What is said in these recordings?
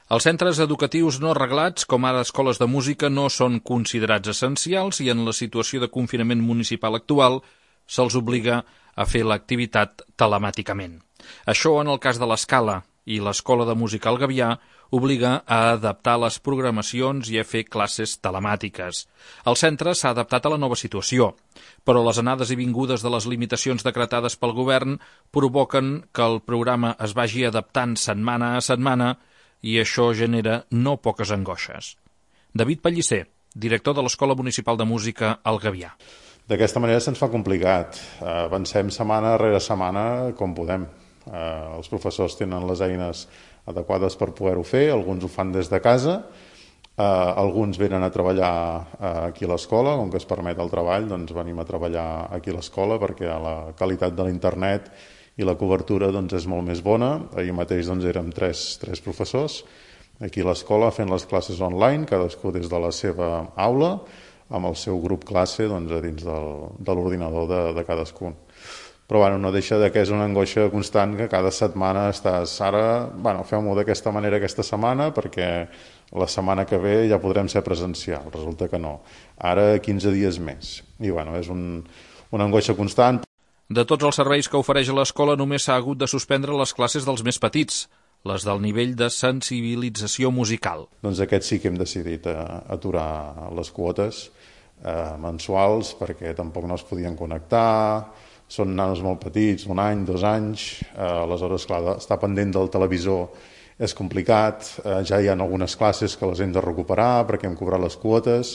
Els centres educatius no reglats, com ara escoles de música, no són considerats essencials i en la situació de confinament municipal actual se'ls obliga a fer l'activitat telemàticament. Això en el cas de l'Escala, i l'Escola de Música El Gavià obliga a adaptar les programacions i a fer classes telemàtiques. El centre s'ha adaptat a la nova situació, però les anades i vingudes de les limitacions decretades pel govern provoquen que el programa es vagi adaptant setmana a setmana i això genera no poques angoixes. David Pellicer, director de l'Escola Municipal de Música El Gavià. D'aquesta manera se'ns fa complicat. Avancem setmana rere setmana com podem. Els professors tenen les eines adequades per poder-ho fer, alguns ho fan des de casa, alguns venen a treballar aquí a l'escola, com que es permet el treball, doncs venim a treballar aquí a l'escola perquè la qualitat de l'internet i la cobertura doncs, és molt més bona. Ahir mateix doncs, érem tres professors aquí a l'escola fent les classes online, cadascú des de la seva aula, amb el seu grup classe doncs, a dins de l'ordinador de cadascun. Però no deixa que és una angoixa constant que cada setmana estàs ara, fem-ho d'aquesta manera aquesta setmana perquè la setmana que ve ja podrem ser presencial. Resulta que no. Ara 15 dies més. I és una angoixa constant. De tots els serveis que ofereix l'escola només s'ha hagut de suspendre les classes dels més petits, les del nivell de sensibilització musical. Doncs aquest sí que hem decidit aturar les quotes mensuals perquè tampoc no es podien connectar. Són nanos molt petits, 1 any, 2 anys, aleshores, clar, estar pendent del televisor és complicat, ja hi ha algunes classes que les hem de recuperar perquè hem cobrat les quotes,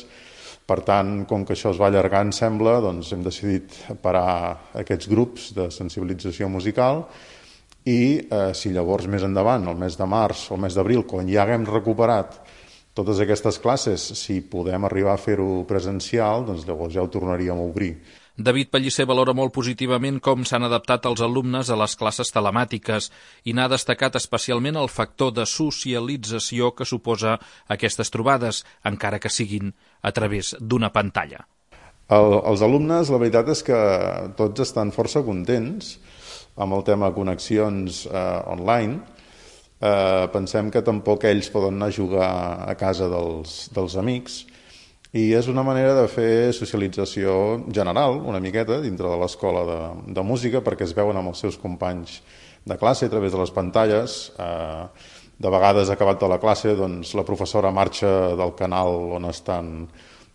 per tant, com que això es va allargant, sembla, doncs hem decidit parar aquests grups de sensibilització musical i si llavors més endavant, el mes de març o el mes d'abril, quan ja haguem recuperat totes aquestes classes, si podem arribar a fer-ho presencial, doncs llavors ja ho tornaríem a obrir. David Pellicer valora molt positivament com s'han adaptat els alumnes a les classes telemàtiques i n'ha destacat especialment el factor de socialització que suposa aquestes trobades, encara que siguin a través d'una pantalla. Els alumnes, la veritat és que tots estan força contents amb el tema de connexions online. Pensem que tampoc ells poden anar a jugar a casa dels amics, i és una manera de fer socialització general, una miqueta, dintre de l'escola de música, perquè es veuen amb els seus companys de classe a través de les pantalles. De vegades, acabat de la classe, doncs, la professora marxa del canal on estan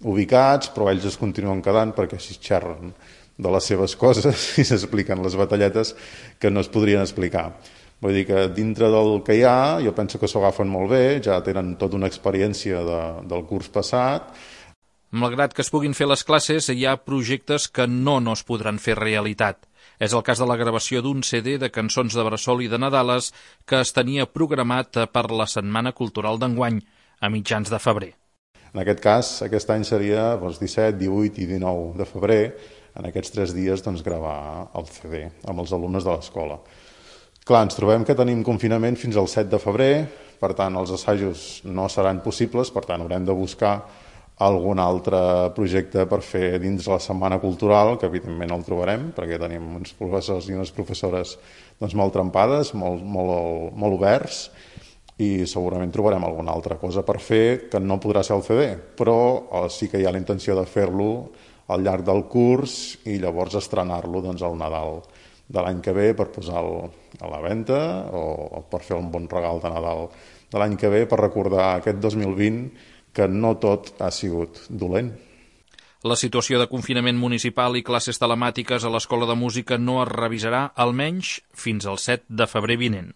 ubicats, però ells es continuen quedant perquè així xerren de les seves coses i s'expliquen les batalletes que no es podrien explicar. Vull dir que dintre del que hi ha, jo penso que s'ho agafen molt bé, ja tenen tota una experiència del curs passat. Malgrat que es puguin fer les classes, hi ha projectes que no es podran fer realitat. És el cas de la gravació d'un CD de cançons de bressol i de Nadales que es tenia programat per la Setmana Cultural d'enguany, a mitjans de febrer. En aquest cas, aquest any seria 17, 18 i 19 de febrer, en aquests 3 dies gravar el CD amb els alumnes de l'escola. Clar, ens trobem que tenim confinament fins al 7 de febrer, per tant els assajos no seran possibles, per tant haurem de buscar algun altre projecte per fer dins la Setmana Cultural, que evidentment el trobarem, perquè tenim uns professors i unes professores molt trempades, molt oberts, i segurament trobarem alguna altra cosa per fer que no podrà ser el CD, però sí que hi ha la intenció de fer-lo al llarg del curs i llavors estrenar-lo al Nadal de l'any que ve per posar-lo a la venda o per fer un bon regal de Nadal de l'any que ve per recordar aquest 2020 que no tot ha sigut dolent. La situació de confinament municipal i classes telemàtiques a l'Escola de Música no es revisarà almenys fins al 7 de febrer vinent.